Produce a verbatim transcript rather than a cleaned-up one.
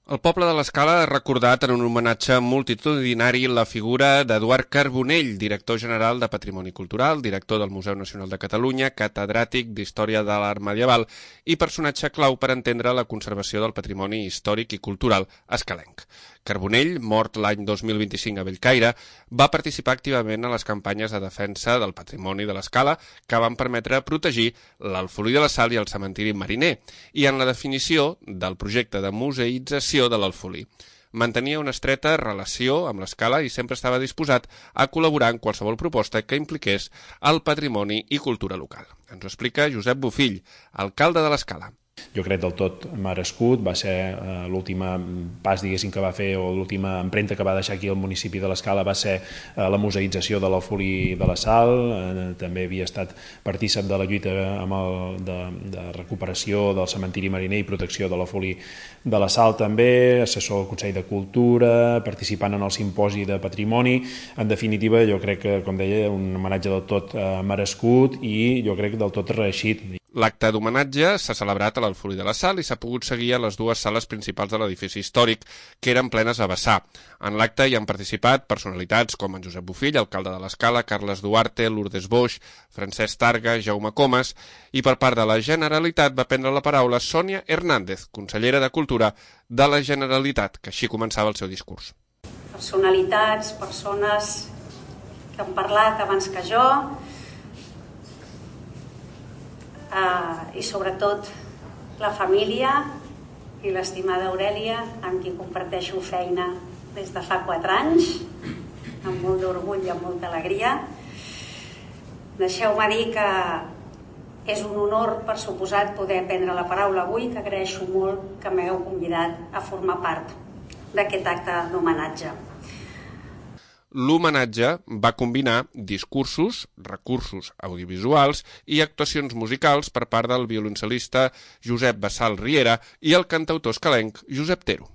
El poble de l'Escala ha recordat en un homenatge multitudinari la figura d'Eduard Carbonell, director general de Patrimoni Cultural, director del Museu Nacional de Catalunya, catedràtic d'Història de l'Art Medieval i personatge clau per entendre la conservació del patrimoni històric i cultural escalenc. Carbonell, mort l'any dos mil vint-i-cinc a Bellcaire, va participar activament a les campanyes de defensa del patrimoni de l'Escala que van permetre protegir l'Alfolí de la Sal i el cementiri mariner i en la definició del projecte de museïtzació de l'Alfolí. Mantenia una estreta relació amb l'Escala i sempre estava disposat a col·laborar en qualsevol proposta que impliqués el patrimoni i cultura local. Ens ho explica Josep Bofill, alcalde de l'Escala. Jo crec del tot merescut, va ser eh, l'últim pas diguéssim que va fer o l'última empremta que va deixar aquí el municipi de l'Escala va ser eh, la museïtzació de l'Alfolí de la Sal, eh, també havia estat partícip de la lluita amb el, de, de recuperació del cementiri mariner i protecció de l'Alfolí de la Sal també, assessor del Consell de Cultura, participant en el simposi de patrimoni. En definitiva, jo crec que, com deia, un homenatge del tot eh, merescut i jo crec del tot reeixit. L'acte d'homenatge s'ha celebrat a l'Alfolí de la Sal i s'ha pogut seguir a les dues sales principals de l'edifici històric, que eren plenes a vessar. En l'acte hi han participat personalitats com en Josep Bofill, alcalde de l'Escala, Carles Duarte, Lourdes Boix, Francesc Targa, Jaume Comas, i per part de la Generalitat va prendre la paraula Sònia Hernández, consellera de Cultura de la Generalitat, que així començava el seu discurs. Personalitats, persones que han parlat abans que jo, Uh, i sobretot la família i l'estimada Aurèlia, amb qui comparteixo feina des de fa quatre anys, amb molt d'orgull i amb molta alegria. Deixeu-me dir que és un honor, per suposat, poder prendre la paraula avui, que agraeixo molt que m'hagueu convidat a formar part d'aquest acte d'homenatge. L'homenatge va combinar discursos, recursos audiovisuals i actuacions musicals per part del violoncel·lista Josep Bassal Riera i el cantautor escalenc Josep Tero.